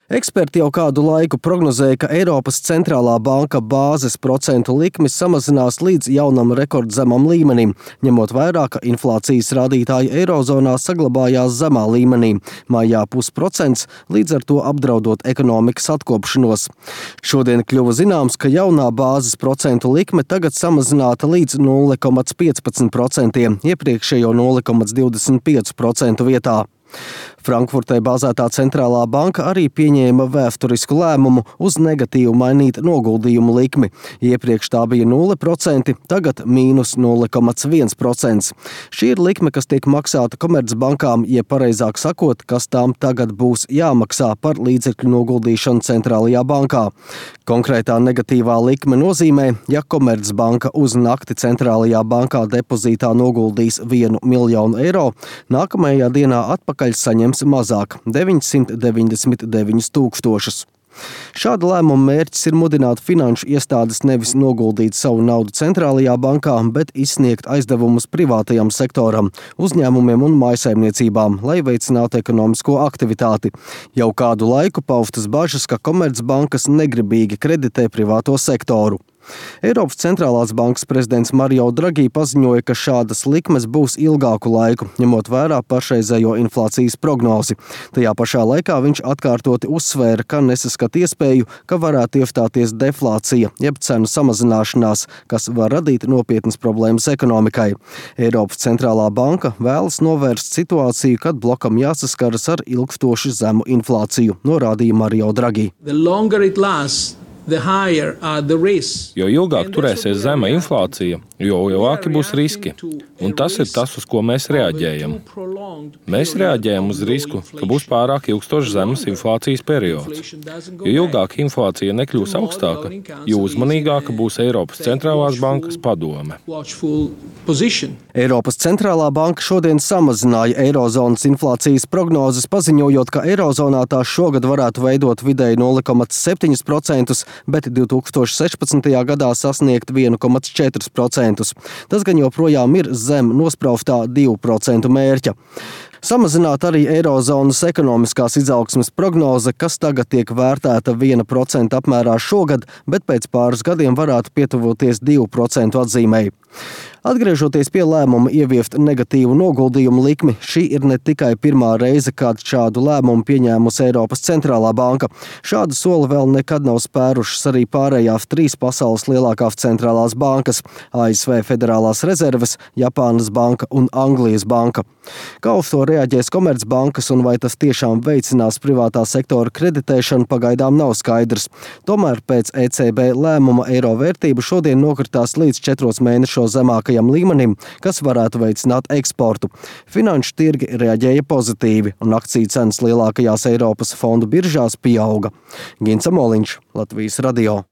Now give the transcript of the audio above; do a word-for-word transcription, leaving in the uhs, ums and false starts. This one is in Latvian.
Eksperti jau kādu laiku prognozēja, ka Eiropas centrālā banka bāzes procentu likmes samazinās līdz jaunam rekordzemam līmenim, ņemot vērā, ka inflācijas rādītāji Eirozonā saglabājās zemā līmenī, maijā pusprocents, līdz ar to apdraudot ekonomikas atkopšanos. Šodien kļuva zināms, ka jaunā bāzes procentu likme tagad samazināta līdz nulle komats piecpadsmit procentiem, iepriekšējo nulle komats divdesmit pieci procenti vietā. Frankfurtē bāzētā centrālā banka arī pieņēma vēsturisku lēmumu uz negatīvu mainīt noguldījumu likmi. Iepriekš tā bija nulle procenti, tagad mīnus nulle komats viens procents. Šī ir likme, kas tiek maksāta komercbankām, jeb pareizāk sakot, kas tām tagad būs jāmaksā par līdzekļu noguldīšanu centrālajā bankā. Konkrētā negatīvā likme nozīmē, ja komercbanka uz nakti centrālajā bankā depozītā noguldīs vienu miljonu eiro, nākamajā dienā atpakaļ saņems mazāk – deviņsimt deviņdesmit deviņus tūkstošus. Šāda lēmuma mērķis ir mudināt finanšu iestādes nevis noguldīt savu naudu centrālajā bankā, bet izsniegt aizdevumus privātajam sektoram, uzņēmumiem un mājsaimniecībām, lai veicinātu ekonomisko aktivitāti. Jau kādu laiku paustas bažas, ka komercbankas negribīgi kreditē privāto sektoru. Eiropas centrālās bankas prezidents Mario Draghi paziņoja, ka šādas likmes būs ilgāku laiku, ņemot vērā pašreizējo inflācijas prognozi. Tajā pašā laikā viņš atkārtoti uzsvēra, ka nesaskat iespēju, ka varētu iestāties deflācija, jeb cenu samazināšanās, kas var radīt nopietnas problēmas ekonomikai. Eiropas centrālā banka vēlas novērst situāciju, kad blokam jāsaskaras ar ilgstoši zemu inflāciju, norādīja Mario Draghi. Jo ilgāk turēsies zema inflācija, jo lielāki būs riski. Un tas ir tas, uz ko mēs reaģējam. Mēs reaģējam uz risku, ka būs pārāk ilgstošs zemes inflācijas periods. Jo ilgāk inflācija nekļūs augstāka, jo uzmanīgāka būs Eiropas centrālās bankas padome. Eiropas centrālā banka šodien samazināja Eirozonas inflācijas prognozes, paziņojot, ka Eirozonā tā šogad varētu veidot vidēji nulle komats septiņi procenti, bet divi tūkstoši sešpadsmitajā gadā sasniegt viens komats četri procenti. Tas gan joprojām ir zem nospraustā divu procentu mērķa. Samazināt arī Eirozonas ekonomiskās izaugsmes prognoze, kas tagad tiek vērtēta viena procenta apmērā šogad, bet pēc pāris gadiem varētu pietuvoties divu procentu atzīmei. Atgriežoties pie lēmuma ieviest negatīvu noguldījumu likmi, šī ir ne tikai pirmā reize, kad šādu lēmumu pieņēmusi Eiropas centrālā banka. Šādu soli vēl nekad nav spērušas arī pārējās trīs pasaules lielākās centrālās bankas – A S V Federālās rezerves, Japānas banka un Anglijas banka. Kā uz to reaģēs komercbankas un vai tas tiešām veicinās privātā sektora kreditēšanu, pagaidām nav skaidrs. Tomēr pēc E C B lēmuma eiro vērtība šodien nokritās līdz četros mēnešos zemākajam līmenim, kas varētu veicināt eksportu. Finanšu tirgi reaģēja pozitīvi un akciju cenas lielākajās Eiropas fondu biržās pieauga. Gins Amoliņš, Latvijas radio.